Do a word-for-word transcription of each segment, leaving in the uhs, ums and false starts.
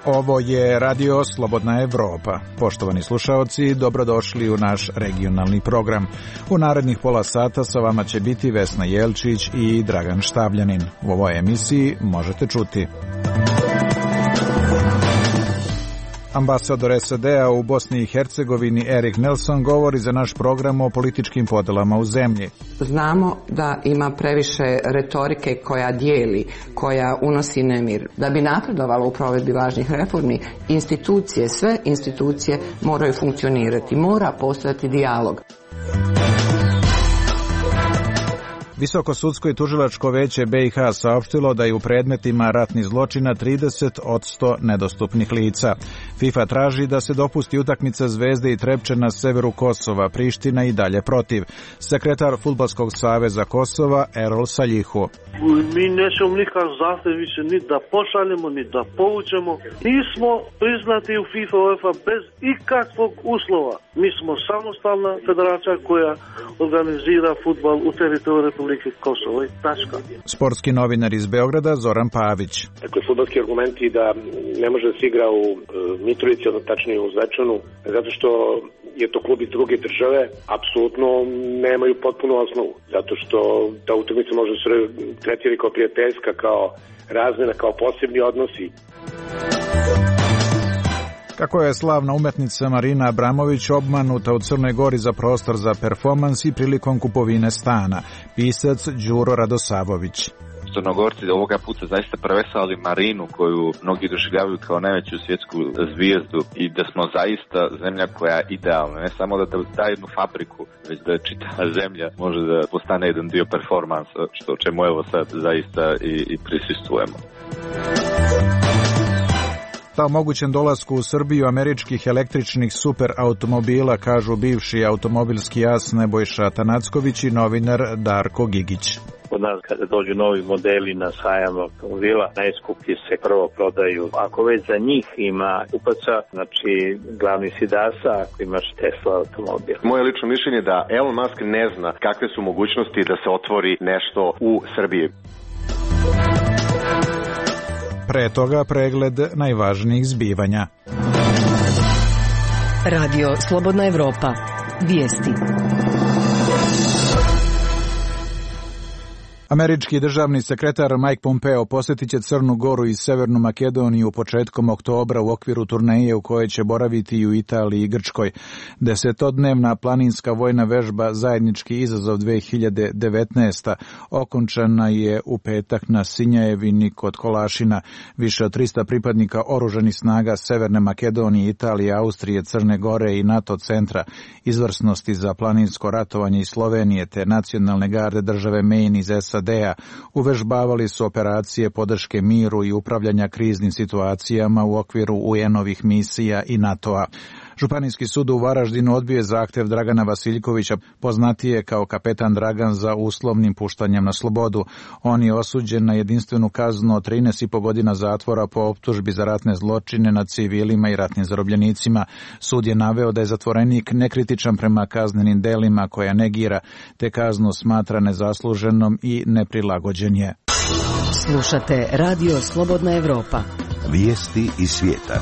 Ovo je Radio Slobodna Evropa. Poštovani slušaoci, dobrodošli u naš regionalni program. U narednih pola sata sa vama će biti Vesna Jelčić i Dragan Štavljanin. U ovoj emisiji možete čuti: ambasador S A D-a u Bosni i Hercegovini Erik Nelson govori za naš program o političkim podelama u zemlji. Znamo da ima previše retorike koja dijeli, koja unosi nemir. Da bi napredovalo u provedbi važnih reformi, institucije, sve institucije moraju funkcionirati, mora postojati dijalog. Visoko sudsko i tužilačko veće B i H saopštilo da je u predmetima ratnih zločina trideset posto nedostupnih lica. FIFA traži da se dopusti utakmica Zvezde i Trepče na severu Kosova, Priština i dalje protiv. Sekretar Fudbalskog saveza Kosova Erol Saljihu. Mi nećemo nikakav zahtev više ni da pošaljemo, ni da povučemo. Mi smo priznati u FIFA UEFA bez ikakvog uslova. Mi smo samostalna federacija koja organizira fudbal u teritoriju Republike Kosovo i tačka. Sportski novinar iz Beograda Zoran Pavić. Dakle, fudbalski argumenti da ne može da se igra u e, Mitrovici, odnosno tačnije u Zvečanu, zato što je to klub iz druge države, apsolutno nemaju potpunu osnovu. Zato što ta utakmica može se tretirati kao prijateljska, kao razmena, kao posebni odnosi. Kako je slavna umetnica Marina Abramović obmanuta u Crnoj Gori za prostor za performans i prilikom kupovine stana. Pisac Đuro Radosavović. Crnogorci ovoga puta zaista prevesali Marinu, koju mnogi doživljavaju kao najveću svjetsku zvijezdu, i da smo zaista zemlja koja je idealna, ne samo da da jednu fabriku, već da čitava zemlja može da postane jedan dio performansa, što čemu evo sad zaista i, i prisustvujemo. Ta mogućem dolasku u Srbiju američkih električnih super automobila, kažu bivši automobilski as Nebojša Tanacković i novinar Darko Gigić. Kod nas kada dođu novi modeli na sajam automobila, najskuplji se prvo prodaju. Ako već za njih ima kupaca, znači glavni si Dasa, ako imaš Tesla automobil. Moje lično mišljenje je da Elon Musk ne zna kakve su mogućnosti da se otvori nešto u Srbiji. Pre toga pregled najvažnijih zbivanja. Radio Slobodna Evropa. Vijesti. Američki državni sekretar Mike Pompeo posjetit će Crnu Goru i Severnu Makedoniju početkom oktobra u okviru turneje u kojoj će boraviti i u Italiji i Grčkoj. Desetodnevna planinska vojna vežba Zajednički izazov dve hiljade devetnaesta okončana je u petak na Sinjajevini kod Kolašina. Više od trista pripadnika oružanih snaga Severne Makedonije, Italije, Austrije, Crne Gore i NATO centra izvrsnosti za planinsko ratovanje iz Slovenije te nacionalne garde države Maine iz S A D-a uvežbavali su operacije podrške miru i upravljanja kriznim situacijama u okviru U N-ovih misija i NATO-a. Županijski sud u Varaždinu odbio je zahtev Dragana Vasiljkovića, poznatije kao kapetan Dragan, za uslovnim puštanjem na slobodu. On je osuđen na jedinstvenu kaznu od trinaest i po godina zatvora po optužbi za ratne zločine nad civilima i ratnim zarobljenicima. Sud je naveo da je zatvorenik nekritičan prema kaznenim delima koja negira, te kaznu smatra nezasluženom i neprilagođen je. Slušate Radio Slobodna Evropa. Vijesti iz svijeta.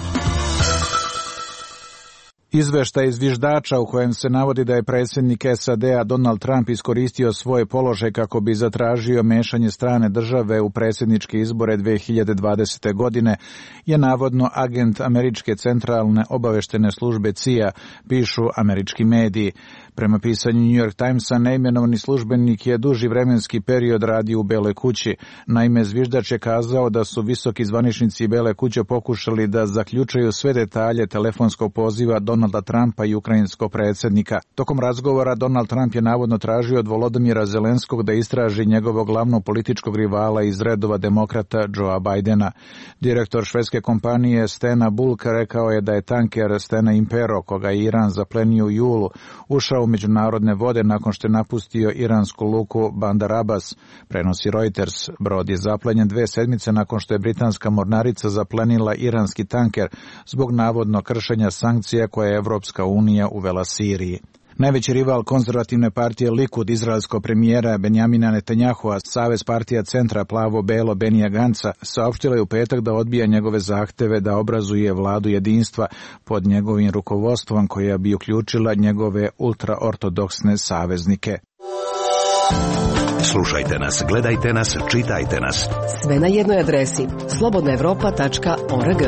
Izveštaj zviždača u kojem se navodi da je predsjednik S A D-a Donald Trump iskoristio svoj položaj kako bi zatražio mešanje strane države u predsjedničke izbore dve hiljade dvadesete. godine je navodno agent američke centralne obaveštene službe C I A, pišu američki mediji. Prema pisanju New York Timesa, neimenovani službenik je duži vremenski period radio u Beloj kući. Naime, zviždač je kazao da su visoki zvaničnici Bele kuće pokušali da zaključaju sve detalje telefonskog poziva Donalda Trumpa i ukrajinskog predsjednika. Tokom razgovora Donald Trump je navodno tražio od Volodymyra Zelenskog da istraži njegovog glavnog političkog rivala iz redova demokrata Joea Bidena. Direktor švedske kompanije Stena Bulk rekao je da je tanker Stena Impero, koga je Iran zaplenio u julu, ušao u međunarodne vode nakon što je napustio iransku luku Bandar Abbas, prenosi Reuters. Brod je zaplenjen dve sedmice nakon što je britanska mornarica zaplenila iranski tanker zbog navodno kršenja sankcija koje je Evropska unija uvela Siriji. Najveći rival konzervativne partije Likud, izraelskog premijera Benjamina Netanjahua, Savez partija centra plavo-belo Benija Ganca, saopštila je u petak da odbija njegove zahteve da obrazuje vladu jedinstva pod njegovim rukovodstvom koja bi uključila njegove ultraortodoksne saveznike. Slušajte nas, gledajte nas, čitajte nas. Sve na jednoj adresi slobodna evropa tačka org.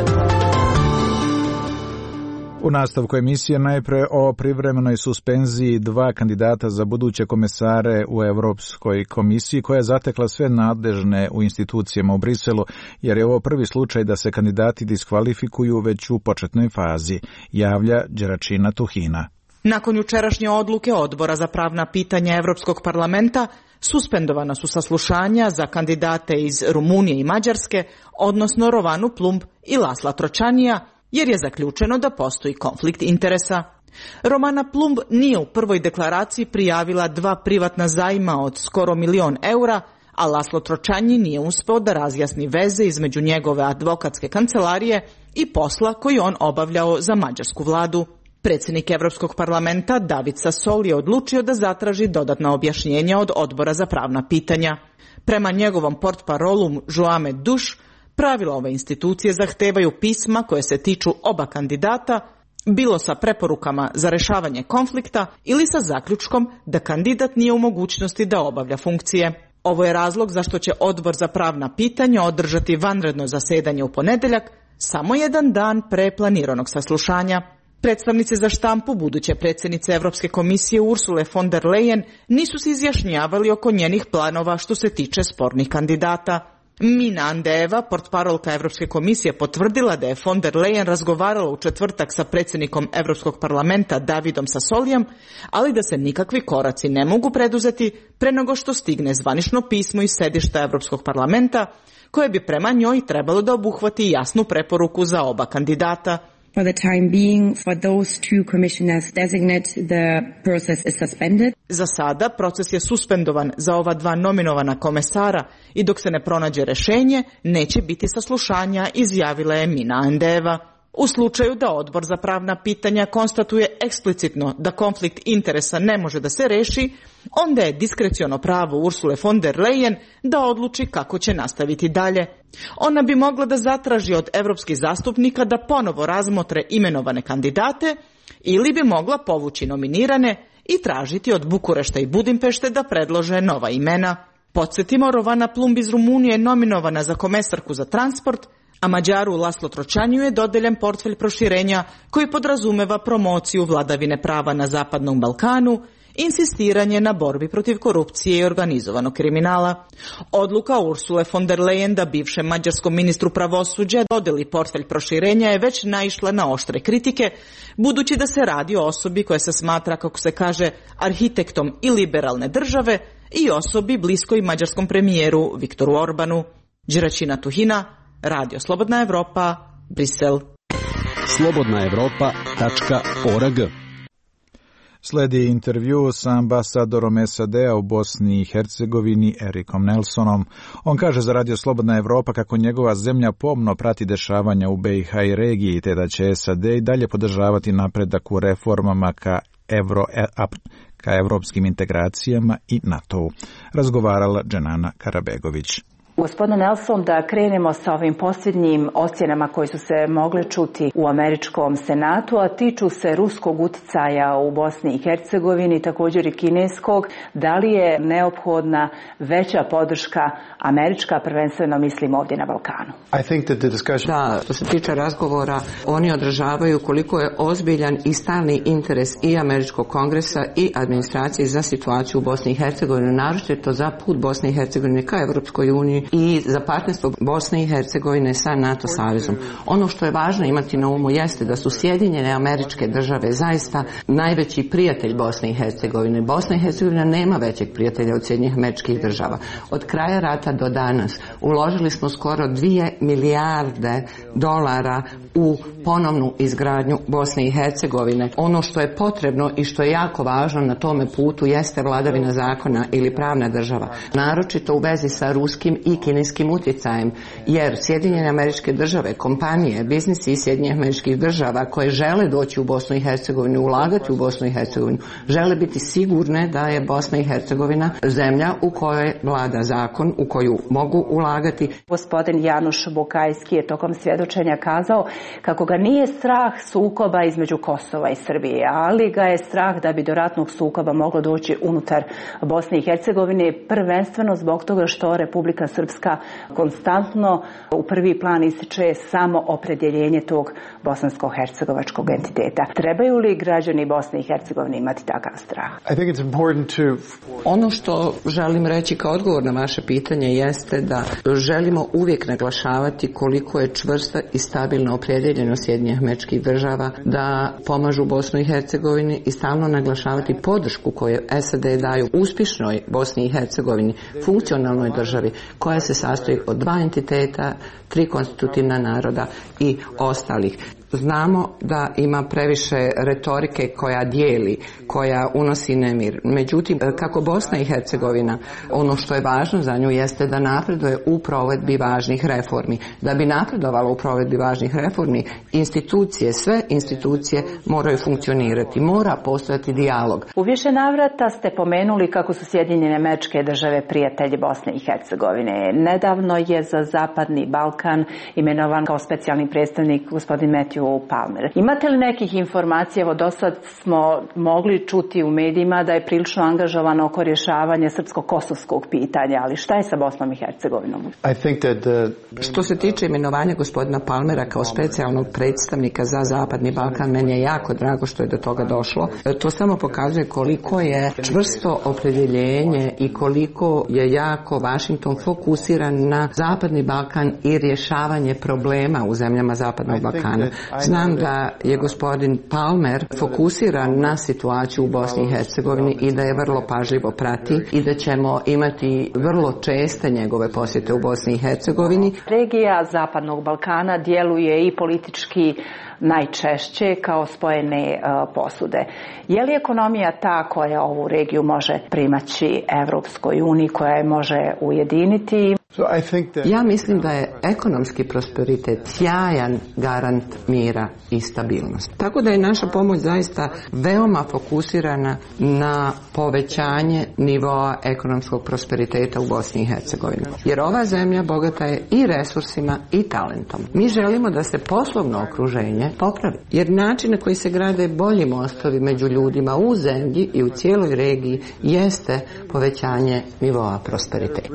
U nastavku emisije najpre o privremenoj suspenziji dva kandidata za buduće komesare u Evropskoj komisiji koja je zatekla sve nadležne u institucijama u Briselu, jer je ovo prvi slučaj da se kandidati diskvalifikuju već u početnoj fazi, javlja Đeračina Tuhina. Nakon jučerašnje odluke Odbora za pravna pitanja Evropskog parlamenta, suspendovana su saslušanja za kandidate iz Rumunije i Mađarske, odnosno Rovanu Plumb i Lasla Tročanija, jer je zaključeno da postoji konflikt interesa. Romana Plumb nije u prvoj deklaraciji prijavila dva privatna zajma od skoro milion eura, a Laslo Tročanji nije uspeo da razjasni veze između njegove advokatske kancelarije i posla koji on obavljao za mađarsku vladu. Predsjednik Evropskog parlamenta David Sassoli je odlučio da zatraži dodatna objašnjenja od Odbora za pravna pitanja. Prema njegovom portparolu Joame Duš, pravila ove institucije zahtevaju pisma koje se tiču oba kandidata, bilo sa preporukama za rešavanje konflikta ili sa zaključkom da kandidat nije u mogućnosti da obavlja funkcije. Ovo je razlog zašto će Odbor za pravna pitanja održati vanredno zasedanje u ponedeljak, samo jedan dan pre planiranog saslušanja. Predstavnici za štampu buduće predsjednice Evropske komisije Ursule von der Leyen nisu se izjašnjavali oko njenih planova što se tiče spornih kandidata. Mina Andeva, portparolka Evropske komisije, potvrdila da je von der Leyen razgovarala u četvrtak sa predsjednikom Evropskog parlamenta Davidom Sassolijem, ali da se nikakvi koraci ne mogu preduzeti pre nego što stigne zvanično pismo iz sedišta Evropskog parlamenta, koje bi prema njoj trebalo da obuhvati jasnu preporuku za oba kandidata. For the time being, for those two commissioners designate, the process is suspended. Za sada proces je suspendovan za ova dva nominovana komesara i dok se ne pronađe rešenje, neće biti saslušanja, izjavila je Mina Andeva. U slučaju da Odbor za pravna pitanja konstatuje eksplicitno da konflikt interesa ne može da se reši, onda je diskreciono pravo Ursule von der Leyen da odluči kako će nastaviti dalje. Ona bi mogla da zatraži od evropskih zastupnika da ponovo razmotre imenovane kandidate ili bi mogla povući nominirane i tražiti od Bukurešta i Budimpešte da predlože nova imena. Podsjetimo, Rovana Plumb iz Rumunije je nominovana za komesarku za transport, a Mađaru Laslo Tročanju je dodeljen portfelj proširenja koji podrazumeva promociju vladavine prava na Zapadnom Balkanu, insistiranje na borbi protiv korupcije i organizovanog kriminala. Odluka Ursule von der Leyen da bivšem mađarskom ministru pravosuđa dodeli portfelj proširenja je već naišla na oštre kritike, budući da se radi o osobi koja se smatra, kako se kaže, arhitektom i liberalne države i osobi bliskoj mađarskom premijeru Viktoru Orbanu. Đeračina Tuhina, Radio Slobodna Evropa, Brisel. slobodna evropa tačka org. Sledi intervju sa ambasadorom S A D-a u Bosni i Hercegovini Erikom Nelsonom. On kaže za Radio Slobodna Evropa kako njegova zemlja pomno prati dešavanja u B i H i regiji, te da će S A D i dalje podržavati napredak u reformama ka, evro, ka evropskim integracijama i NATO-u. Razgovarala Dženana Karabegović. Gospodine Nelson, da krenemo sa ovim posljednjim ocjenama koje su se mogle čuti u američkom senatu, a tiču se ruskog uticaja u Bosni i Hercegovini, također i kineskog. Da li je neophodna veća podrška američka, prvenstveno mislim ovdje na Balkanu? Da, što se tiče razgovora, oni odražavaju koliko je ozbiljan i stalni interes i američkog kongresa i administracije za situaciju u Bosni i Hercegovini, naročito za put Bosne i Hercegovine ka Evropskoj uniji i za partnerstvo Bosne i Hercegovine sa NATO savezom. Ono što je važno imati na umu jeste da su Sjedinjene Američke Države zaista najveći prijatelj Bosne i Hercegovine. Bosna i Hercegovina nema većeg prijatelja od Sjedinjenih Američkih Država. Od kraja rata do danas uložili smo skoro dvije milijarde dolara u ponovnu izgradnju Bosne i Hercegovine. Ono što je potrebno i što je jako važno na tome putu jeste vladavina zakona ili pravna država, naročito u vezi sa ruskim i kineskim utjecajem, jer Sjedinjene Američke Države, kompanije, biznisi iz Sjedinjenih Američkih Država koje žele doći u Bosnu i Hercegovinu, ulagati u Bosnu i Hercegovinu, žele biti sigurne da je Bosna i Hercegovina zemlja u kojoj vlada zakon, u koju mogu ulagati. Gospodin Januš Bukajski je tokom svjedočenja kazao kako ga nije strah sukoba između Kosova i Srbije, ali ga je strah da bi do ratnog sukoba moglo doći unutar Bosne i Hercegovine, prvenstveno zbog toga što Republika Srpska konstantno u prvi plan ističe samo opredjeljenje tog bosansko-hercegovačkog entiteta. Trebaju li građani Bosne i Hercegovine imati takav strah? Ono što želim reći kao odgovor na vaše pitanje jeste da želimo uvijek naglašavati koliko je čvrsta i stabilna opredjeljenost Sjedinjenih Američkih Država da pomažu Bosnu i Hercegovini i stalno naglašavati podršku koju S A D daju uspješnoj Bosni i Hercegovini, funkcionalnoj državi koja se sastoji od dva entiteta, tri konstitutivna naroda i ostalih. Znamo da ima previše retorike koja dijeli, koja unosi nemir. Međutim, kako Bosna i Hercegovina, ono što je važno za nju jeste da napreduje u provedbi važnih reformi. Da bi napredovala u provedbi važnih reformi, institucije, sve institucije moraju funkcionirati, mora postojati dijalog. U više navrata ste pomenuli kako su Sjedinjene Američke Države prijatelji Bosne i Hercegovine. Nedavno je za Zapadni Balkan imenovan kao specijalni predstavnik gospodin Matthew Palmer. Imate li nekih informacija, evo do sad smo mogli čuti u medijima da je prilično angažovan oko rješavanja srpsko-kosovskog pitanja, ali šta je sa Bosnom i Hercegovinom? Što se tiče imenovanja gospodina Palmera kao specijalnog predstavnika za Zapadni Balkan, meni je jako drago što je do toga došlo. To samo pokazuje koliko je čvrsto opredjeljenje i koliko je jako Washington fokusiran na Zapadni Balkan i rješavanje problema u zemljama Zapadnog Balkana. Znam da je gospodin Palmer fokusiran na situaciju u Bosni i Hercegovini i da je vrlo pažljivo prati i da ćemo imati vrlo česte njegove posjete u Bosni i Hercegovini. Regija Zapadnog Balkana djeluje i politički najčešće kao spojene uh, posude. Je li ekonomija ta koja ovu regiju može primaći Evropskoj uniji, koja je može ujediniti? Ja mislim da je ekonomski prosperitet sjajan garant mira i stabilnosti. Tako da je naša pomoć zaista veoma fokusirana na povećanje nivoa ekonomskog prosperiteta u Bosni i Hercegovini. Jer ova zemlja bogata je i resursima i talentom. Mi želimo da se poslovno okruženje popravi. Jer način na koji se grade bolji mostovi među ljudima u zemlji i u cijeloj regiji jeste povećanje nivoa prosperiteta.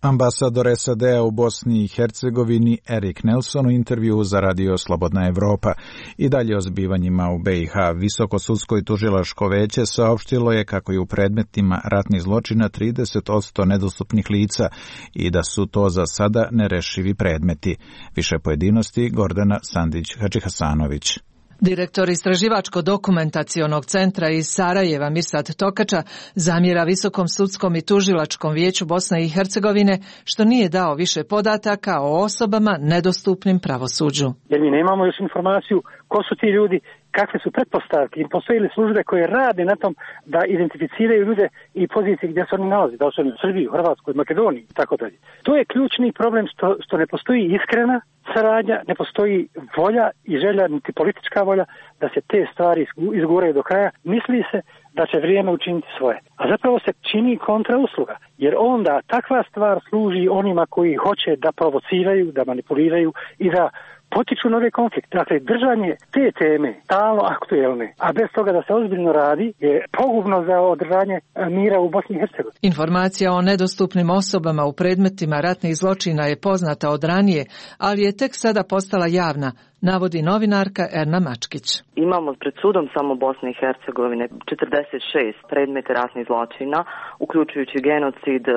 Ambasador S A D-a u Bosni i Hercegovini Erik Nelson u intervju za Radio Slobodna Evropa. I dalje o zbivanjima u B i H. Visoko sudsko i tužilačko veće saopštilo je kako je u predmetima ratnih zločina trideset posto nedostupnih lica i da su to za sada nerešivi predmeti. Više pojedinosti Gordana Sandić-Hadžihasanović. Direktor Istraživačko-dokumentacionog centra iz Sarajeva Mirsad Tokača zamjera Visokom sudskom i tužilačkom vijeću Bosne i Hercegovine što nije dao više podataka o osobama nedostupnim pravosuđu. Jer mi nemamo još informaciju ko su ti ljudi, kakve su pretpostavke i postoje li službe koje rade na tom da identificiraju ljude i pozicije gdje se oni nalazi, da li su oni u Srbiji, u Hrvatskoj, Makedoniji i tako dalje. To je ključni problem što, što ne postoji iskrena saradnja, ne postoji volja i želja, niti politička volja da se te stvari izguraju do kraja. Misli se da će vrijeme učiniti svoje. A zapravo se čini kontrausluga, jer onda takva stvar služi onima koji hoće da provociraju, da manipuliraju i da potiču nove konflikte. Dakle, držanje te teme stalno aktuelne, a bez toga da se ozbiljno radi, je pogubno za održanje mira u Bosni i Hercegovini. Informacija o nedostupnim osobama u predmetima ratnih zločina je poznata od ranije, ali je tek sada postala javna, navodi novinarka Erna Mačkić. Imamo pred sudom samo Bosne i Hercegovine četrdeset šest predmeta ratnih zločina, uključujući genocid uh,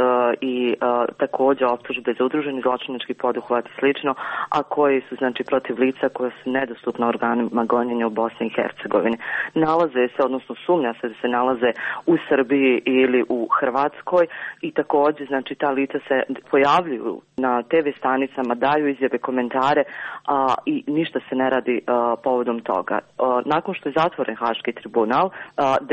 i uh, također optužbe za udruženi zločinački poduhvat i slično, a koji su znači protiv lica koja su nedostupna organima gonjenja u Bosni i Hercegovini. Nalaze se, odnosno sumnja se da se nalaze u Srbiji ili u Hrvatskoj i također znači ta lica se pojavljuju na te ve stanicama, daju izjave, komentare, a i ništa da se ne radi uh, povodom toga. Uh, nakon što je zatvoren Haški tribunal, uh,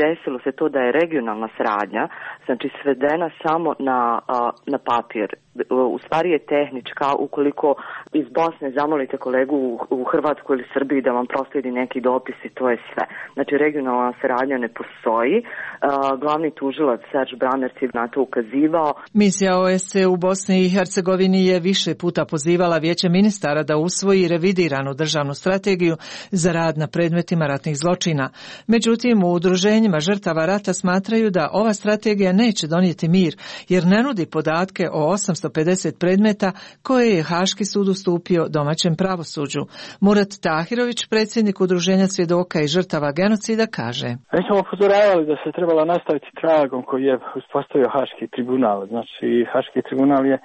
desilo se to da je regionalna saradnja, znači svedena samo na, uh, na papir. U stvari je tehnička, ukoliko iz Bosne zamolite kolegu u, u Hrvatskoj ili Srbiji da vam prosledi neki dopis i to je sve. Znači regionalna saradnja ne postoji. Uh, glavni tužilac Serge Brammertz je na to ukazivao. Misija O S C E u Bosni i Hercegovini je više puta pozivala Vijeće ministara da usvoji revidiranu državnu strategiju za rad na predmetima ratnih zločina. Međutim, u udruženjima žrtava rata smatraju da ova strategija neće donijeti mir, jer ne nudi podatke o osamsto pedeset predmeta koje je Haški sud ustupio domaćem pravosuđu. Murat Tahirović, predsjednik udruženja svjedoka i žrtava genocida, kaže: Mi smo upozoravali da se trebala nastaviti tragom koji je uspostavio Haški tribunal. Znači, Haški tribunal je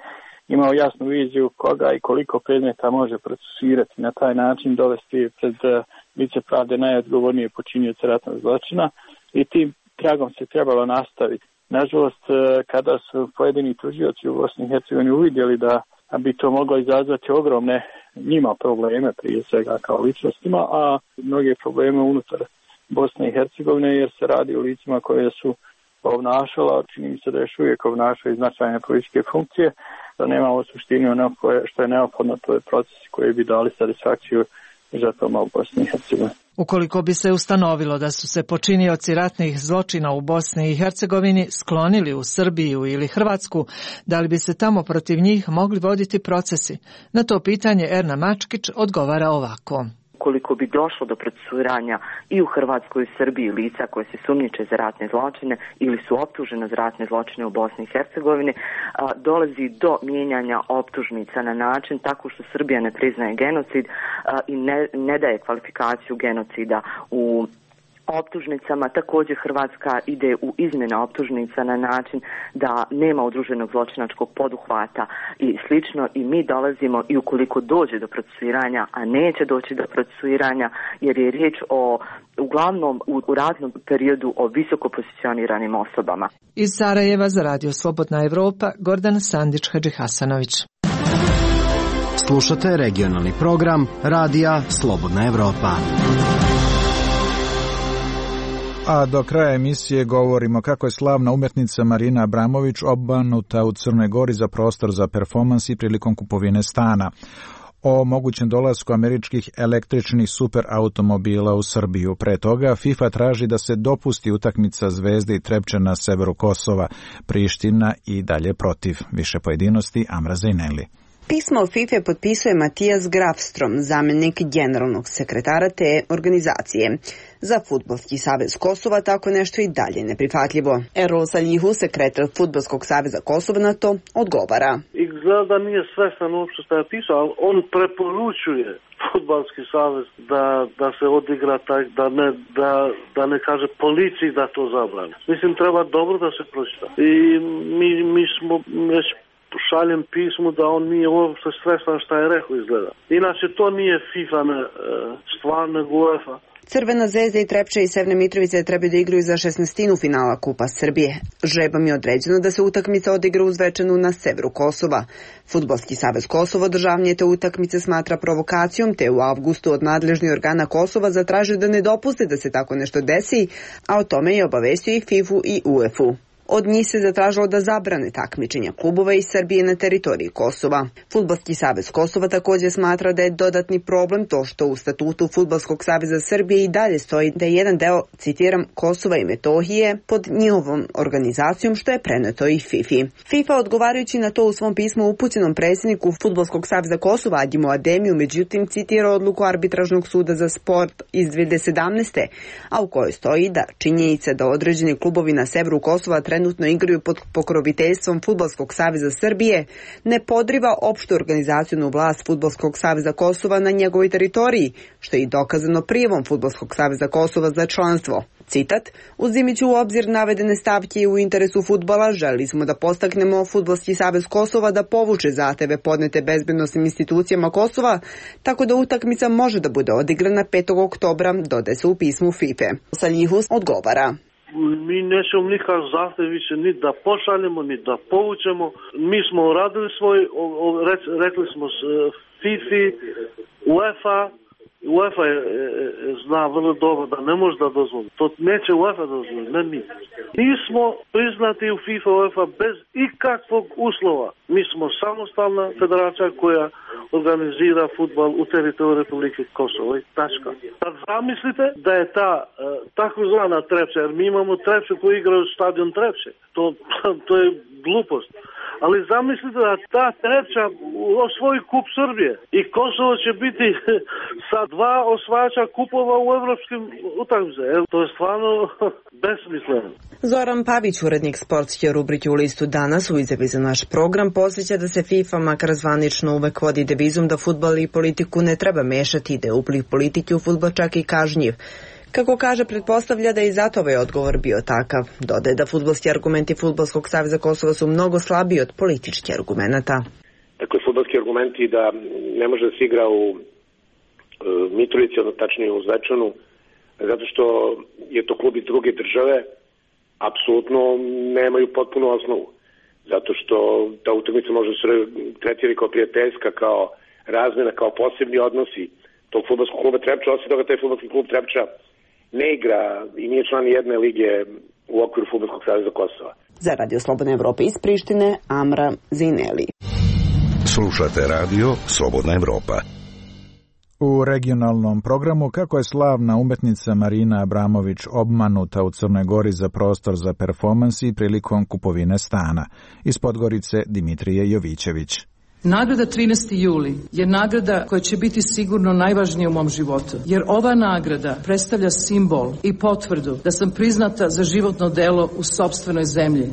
imao jasnu viziju koga i koliko predmeta može procesuirati, na taj način dovesti pred lice pravde najodgovornije počinioce ratnog zločina i tim tragom se trebalo nastaviti. Nažalost, kada su pojedini tužioci u Bosni i Hercegovini uvidjeli da bi to moglo izazvati ogromne njima probleme, prije svega kao ličnostima, a mnoge probleme unutar Bosne i Hercegovine, jer se radi o licima koje su obnašala, čini mi se da još uvijek obnašaju značajne političke funkcije, da nema u suštini ono što je neophodno, to je procesi koji bi dali satisfakciju žrtvama u Bosni i Hercegovini. Ukoliko bi se ustanovilo da su se počinioci ratnih zločina u Bosni i Hercegovini sklonili u Srbiju ili Hrvatsku, da li bi se tamo protiv njih mogli voditi procesi? Na to pitanje Erna Mačkić odgovara ovako. Ukoliko bi došlo do procesuiranja i u Hrvatskoj i Srbiji lica koje se sumnjiče za ratne zločine ili su optužene za ratne zločine u Bosni i Hercegovini, dolazi do mijenjanja optužnica na način tako što Srbija ne priznaje genocid i ne, ne daje kvalifikaciju genocida u optužnicama. Također Hrvatska ide u izmjene optužnica na način da nema udruženog zločinačkog poduhvata i slično, i mi dolazimo, i ukoliko dođe do procesuiranja, a neće doći do procesuiranja jer je riječ o uglavnom u, u ratnom periodu o visoko pozicioniranim osobama. Iz Sarajeva za Radio Slobodna Evropa, Gordana Sandić Hadžihasanović. Slušate regionalni program Radija Slobodna Evropa. A do kraja emisije govorimo kako je slavna umjetnica Marina Abramović obmanuta u Crnoj Gori za prostor za performansi prilikom kupovine stana. O mogućem dolasku američkih električnih superautomobila u Srbiju. Pre toga FIFA traži da se dopusti utakmica Zvezde i Trepče na severu Kosova. Priština i dalje protiv. Više pojedinosti Amra Zajneli. Pismo FIFA potpisuje Matijas Grafstrom, zamjenik generalnog sekretara te organizacije. Za Fudbalski savez Kosova tako nešto i dalje neprihvatljivo. Erol Saljihu, sekretar Fudbalskog saveza Kosova, na to odgovara. Izgleda da nije svestan uopšte što je pisao, ali on preporučuje Fudbalski savez da, da se odigra tak, da ne, da, da ne kaže policiji da to zabrani. Mislim, treba dobro da se pročita. I mi, mi smo već šaljem pismu da on nije uopšte svestan šta je rekao, izgleda. Inače, to nije FIFA ne, stvar, nego UEFA. Crvena zvezda i Trepče i Severne Mitrovice trebaju da igraju za šesnaestinu finala Kupa Srbije. Žrebom je određeno da se utakmica odigra u Zvečanu na severu Kosova. Fudbalski savez Kosova održavanje te utakmice smatra provokacijom, te u avgustu od nadležnih organa Kosova zatražio da ne dopuste da se tako nešto desi, a o tome je obavestio i FIFA i UEFA. Od njih se zatražilo da zabrane takmičenja klubova iz Srbije na teritoriji Kosova. Fudbalski savez Kosova također smatra da je dodatni problem to što u statutu Fudbalskog saveza Srbije i dalje stoji da je jedan deo, citiram, Kosova i Metohije pod njihovom organizacijom, što je preneto i FIFA. FIFA odgovarajući na to u svom pismu upućenom predsjedniku Fudbalskog saveza Kosova Adjimu Ademiju, međutim citira odluku arbitražnog suda za sport iz dvije hiljade sedamnaeste. a u kojoj stoji da činjenica da određeni klubovi na severu Kosova trenutno igraju pod pokroviteljstvom Fudbalskog saveza Srbije ne podriva opštu organizacijonu vlast Fudbalskog saveza Kosova na njegovoj teritoriji, što je i dokazano prijavom Fudbalskog saveza Kosova za članstvo. Citat, uzimajući u obzir navedene stavke u interesu fudbala, želi smo da postaknemo Fudbalski savez Kosova da povuče zahteve podnete bezbednosnim institucijama Kosova, tako da utakmica može da bude odigrana petog oktobra, dodaje se u pismu FIFA. Saljihus odgovara. Mi nećemo nikak zahtev više ni da pošaljemo, ni da povučemo. Mi smo uradili svoj, rekli smo FIFA, UEFA UEFA je, je, zna vrlo dobro da ne može da dozvoli. To neće UEFA dozvoli, ne mi. Mi smo priznati u FIFA UEFA bez ikakvog uslova. Mi smo samostalna federacija koja organizira fudbal u teritoriju Republike Kosovo i tačka. Sad zamislite da je ta e, takozvana Trepča, jer mi imamo Trepču koji igra u stadion Trepče. To, to je glupost. Ali zamislite da ta Trepča osvoji kup Srbije i Kosovo će biti sa dva osvajača kupova u evropskim utakmicama. To je stvarno besmisleno. Zoran Pavić, urednik sportske rubrike u listu Danas, u izjavi za naš program posjeća da se FIFA makar zvanično uvek vodi devizom da fudbal i politiku ne treba mešati, da je upliv politike u fudbal čak i kažnjiv. Kako kaže, pretpostavlja da je i zato ovaj odgovor bio takav. Dodaje da fudbalski argumenti Fudbalskog saveza Kosova su mnogo slabiji od političkih argumenata. Dakle, fudbalski argumenti da ne može da se igra u e, Mitrovici, odnosno tačnije u Zvečanu, zato što je to klub iz druge države, apsolutno nemaju potpunu osnovu. Zato što ta utakmica može se tretirati kao prijateljska, kao razmena, kao posebni odnosi tog fudbalskog kluba Trepča, osim toga taj fudbalski klub Trepča ne igra i nije član jedne lige u okviru Fudbalskog saveza Kosova. Za Radio Slobodne Evrope iz Prištine, Amra Zineli. Slušate radio Slobodna Evropa. U regionalnom programu kako je slavna umetnica Marina Abramović obmanuta u Crnoj Gori za prostor za performansi prilikom kupovine stana. Iz Podgorice Dimitrije Jovićević. Nagrada trinaesti juli je nagrada koja će biti sigurno najvažnija u mom životu, jer ova nagrada predstavlja simbol i potvrdu da sam priznata za životno delo u sopstvenoj zemlji.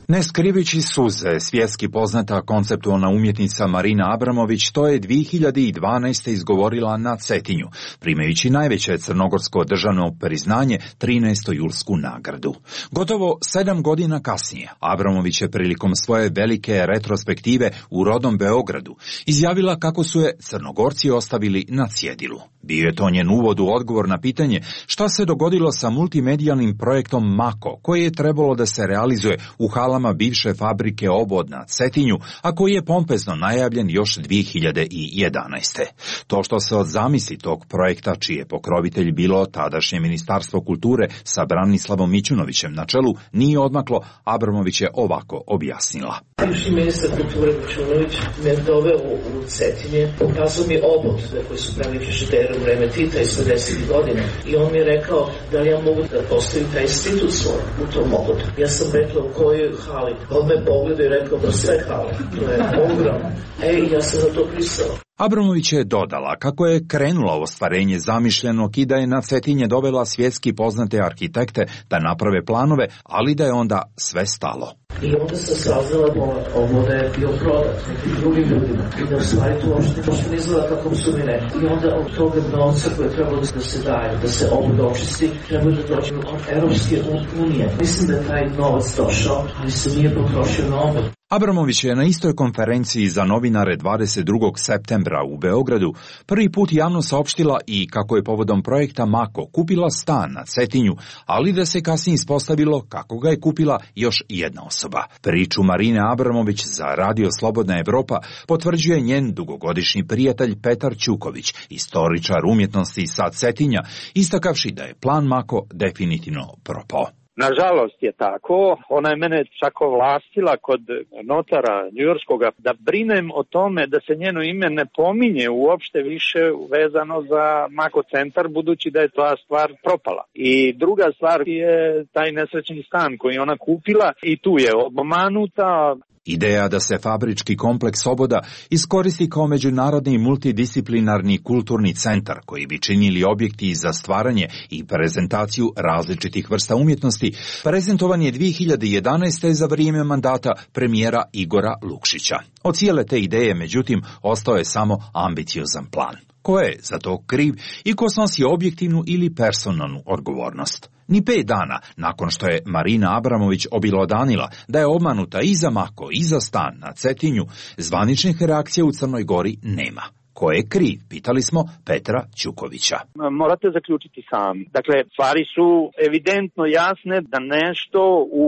Ne skrivići suze, svjetski poznata konceptualna umjetnica Marina Abramović to je dvije hiljade dvanaeste. izgovorila na Cetinju, primajući najveće crnogorsko državno priznanje trinaestu julsku nagradu. Gotovo sedam godina kasnije, Abramović je prilikom svoje velike retrospektive u rodnom Beogradu izjavila kako su je Crnogorci ostavili na cjedilu. Bio je to njen uvod u odgovor na pitanje šta se dogodilo sa multimedijalnim projektom Mako, koji je trebalo da se realizuje u halama bivše fabrike Obod na Cetinju, a koji je pompezno najavljen još dvije hiljade jedanaeste. To što se od zamisli tog projekta, čiji je pokrovitelj bilo tadašnje Ministarstvo kulture sa Branislavom Mićunovićem na čelu, nije odmaklo, Abramović je ovako objasnila. Bivši ministar kulture Mićunović me doveo u Cetinje, pokazao mi Obod koji su pravili frižidere u vreme Tita iz pedesetih godina i on mi je rekao da li ja mogu da postavim taj institut svoj u tom Obodu. Ja sam rekla u kojoj hali. On me pogledao i rekao da sve hale. To je ogromno. E, ja sam na to pristala. Abramović je dodala kako je krenula u ostvarenje zamišljenog i da je na Cetinje dovela svjetski poznate arhitekte da naprave planove, ali da je onda sve stalo. I onda sam saznala da ovo da je bio prodat nekim drugim ljudima i da u stvari to uopšte ne izgleda kako su mi rekli. I onda od toga novca koje je trebalo da se daje, da se ovo očisti, trebalo da dođe od Evropske unije. Mislim da je taj novac došao, ali se nije potrošio na ovo. Abramović je na istoj konferenciji za novinare dvadeset drugog septembra u Beogradu prvi put javno saopštila i kako je povodom projekta Mako kupila stan na Cetinju, ali da se kasnije ispostavilo kako ga je kupila još jedna osoba. Priču Marine Abramović za Radio Slobodna Evropa potvrđuje njen dugogodišnji prijatelj Petar Ćuković, istoričar umjetnosti sa Cetinja, istakavši da je plan Mako definitivno propao. Nažalost je tako, ona je mene čak ovlastila kod notara njujorskoga da brinem o tome da se njeno ime ne pominje uopšte više vezano za Mako centar, budući da je ta stvar propala. I druga stvar je taj nesrećni stan koji ona kupila i tu je obmanuta. Ideja da se fabrički kompleks Oboda iskoristi kao međunarodni multidisciplinarni kulturni centar koji bi činili objekti za stvaranje i prezentaciju različitih vrsta umjetnosti, prezentovan je dvije hiljade jedanaeste. za vrijeme mandata premijera Igora Lukšića. Od cijele te ideje, međutim, ostao je samo ambiciozan plan. Ko je za to kriv i ko snosi objektivnu ili personalnu odgovornost? Ni pet dana nakon što je Marina Abramović obilodanila da je obmanuta i za Mako i za stan na Cetinju, zvaničnih reakcija u Crnoj Gori nema. Ko je kriv? Pitali smo Petra Ćukovića. Morate zaključiti sami. Dakle, stvari su evidentno jasne da nešto u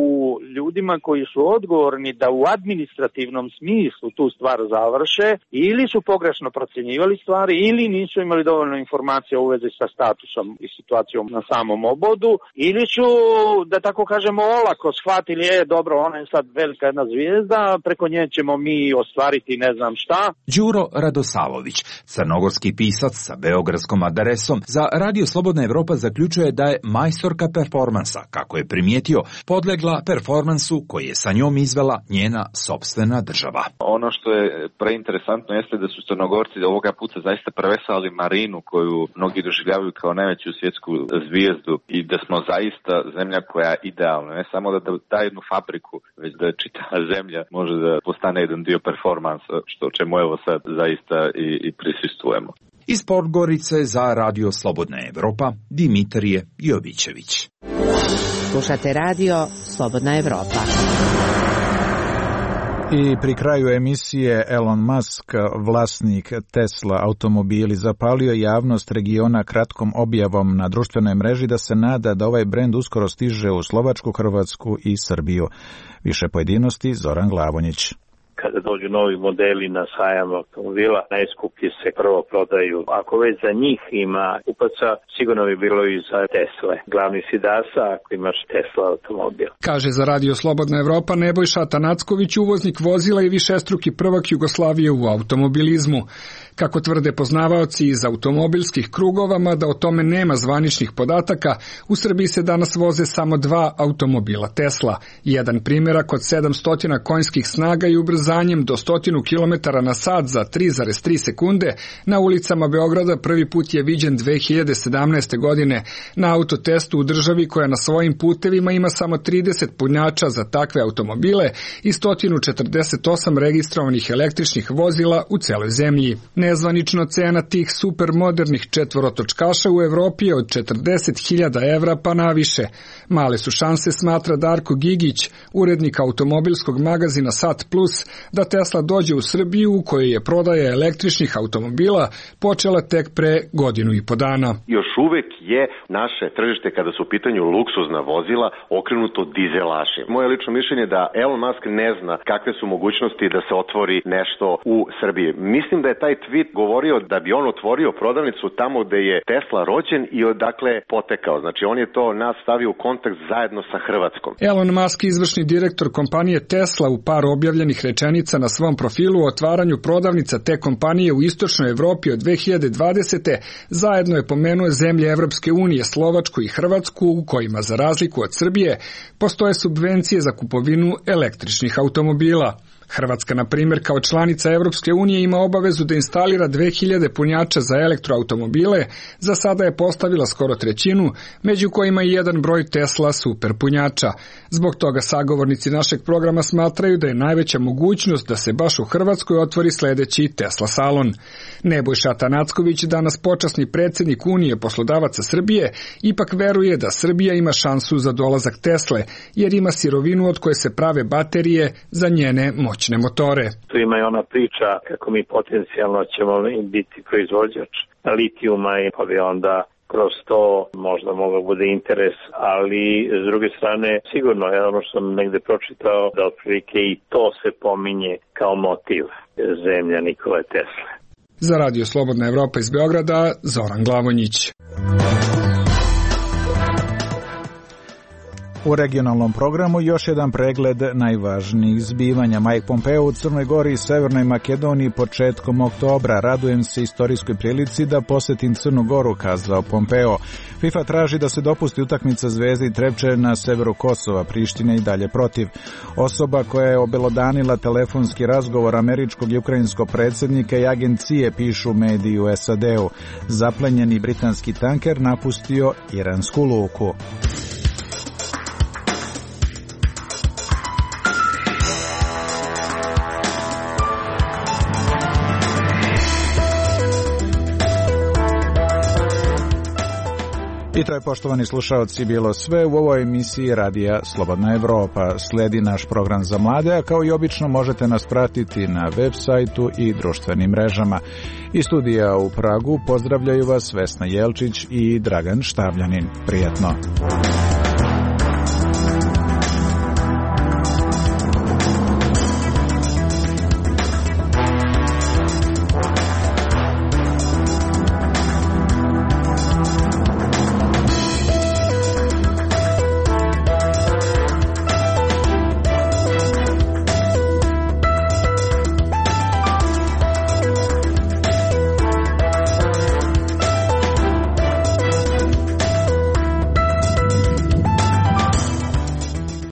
ljudima koji su odgovorni da u administrativnom smislu tu stvar završe ili su pogrešno procjenjivali stvari ili nisu imali dovoljno informacija u vezi sa statusom i situacijom na samom obodu ili su, da tako kažemo, olako shvatili, je dobro, ona je sad velika jedna zvijezda, preko nje ćemo mi ostvariti ne znam šta. Đuro Radosalović, crnogorski pisac sa beogradskom adresom, za Radio Slobodna Evropa zaključuje da je majstorka performansa, kako je primijetio, podlegla performansu koji je sa njom izvela njena sopstvena država. Ono što je preinteresantno jeste da su Crnogorci ovoga puta zaista prevesali Marinu, koju mnogi doživljavaju kao najveću svjetsku zvijezdu, i da smo zaista zemlja koja je idealna, ne samo da da jednu fabriku, već da čitava zemlja može da postane jedan dio performansa, što čemu evo sad zaista i, i prisustujemo. Iz Podgorice za Radio Slobodna Evropa, Dimitrije Jovićević. Slušate Radio Slobodna Evropa. I pri kraju emisije Elon Musk, vlasnik Tesla automobili, zapalio javnost regiona kratkom objavom na društvenoj mreži da se nada da ovaj brend uskoro stiže u Slovačku, Hrvatsku i Srbiju. Više pojedinosti Zoran Glavonjić. Kada dođu novi modeli na sajam automobila, najskuplji se prvo prodaju. Ako već za njih ima kupaca, sigurno bi bilo i za Tesle. Glavni si dasa ako imaš Tesla automobil. Kaže za Radio Slobodna Evropa Nebojša Tanacković, uvoznik vozila i višestruki prvak Jugoslavije u automobilizmu. Kako tvrde poznavaoci iz automobilskih krugova, mada o tome nema zvaničnih podataka, u Srbiji se danas voze samo dva automobila Tesla. Jedan primjerak od sedamsto konjskih snaga i ubrzanjem do sto kilometara na sat za tri zarez tri sekunde na ulicama Beograda prvi put je viđen dve hiljade sedamnaeste. godine na autotestu u državi koja na svojim putevima ima samo trideset punjača za takve automobile i sto četrdeset osam registrovanih električnih vozila u celoj zemlji. Nezvanično cena tih supermodernih četvorotočkaša u Evropi je od četrdeset hiljada evra pa naviše. Male su šanse, smatra Darko Gigić, urednik automobilskog magazina Sat Plus, da Tesla dođe u Srbiju u kojoj je prodaja električnih automobila počela tek pre godinu i po dana. Još uvek je naše tržište kada su u pitanju luksuzna vozila okrenuto dizelašima. Moje lično mišljenje je da Elon Musk ne zna kakve su mogućnosti da se otvori nešto u Srbiji. Mislim da je taj tweet govorio da bi on otvorio prodavnicu tamo gde je Tesla rođen i odakle potekao. Znači on je to nas stavio u kontakt zajedno sa Hrvatskom. Elon Musk, izvršni direktor kompanije Tesla, u par objavljenih rečenica na svom profilu o otvaranju prodavnica te kompanije u istočnoj Evropi od dve hiljade dvadesete. zajedno je pomenuo zemlje Evropske unije, Slovačku i Hrvatsku, u kojima za razliku od Srbije postoje subvencije za kupovinu električnih automobila. Hrvatska, na primjer, kao članica Evropske unije ima obavezu da instalira dve hiljade punjača za elektroautomobile, za sada je postavila skoro trećinu, među kojima i jedan broj Tesla super punjača. Zbog toga sagovornici našeg programa smatraju da je najveća mogućnost da se baš u Hrvatskoj otvori sledeći Tesla salon. Nebojša Tanacković, danas počasni predsjednik Unije poslodavaca Srbije, ipak veruje da Srbija ima šansu za dolazak Tesle, jer ima sirovinu od koje se prave baterije za njene moćne motore. Tu ima i ona priča kako mi potencijalno ćemo biti proizvođač litijuma i pa bi onda kroz to možda mogao bude interes, ali s druge strane sigurno je ono što sam negde pročitao da otprilike i to se pominje kao motiv zemlja Nikole Tesle. Za Radio Slobodna Evropa iz Beograda, Zoran Glavonjić. U regionalnom programu još jedan pregled najvažnijih zbivanja. Mike Pompeo u Crnoj Gori i Severnoj Makedoniji početkom oktobra. Radujem se istorijskoj prilici da posetim Crnu Goru, kazao Pompeo. FIFA traži da se dopusti utakmica Zvezde i Trepče na severu Kosova, Prištine i dalje protiv. Osoba koja je obelodanila telefonski razgovor američkog i ukrajinskog predsjednika i agencije, pišu mediji u S A D-u. Zaplenjeni britanski tanker napustio iransku luku. I to je, poštovani slušaoci, bilo sve u ovoj emisiji Radija Slobodna Evropa. Sledi naš program za mlade, a kao i obično možete nas pratiti na web sajtu i društvenim mrežama. Iz studija u Pragu pozdravljaju vas Vesna Jelčić i Dragan Štavljanin. Prijetno!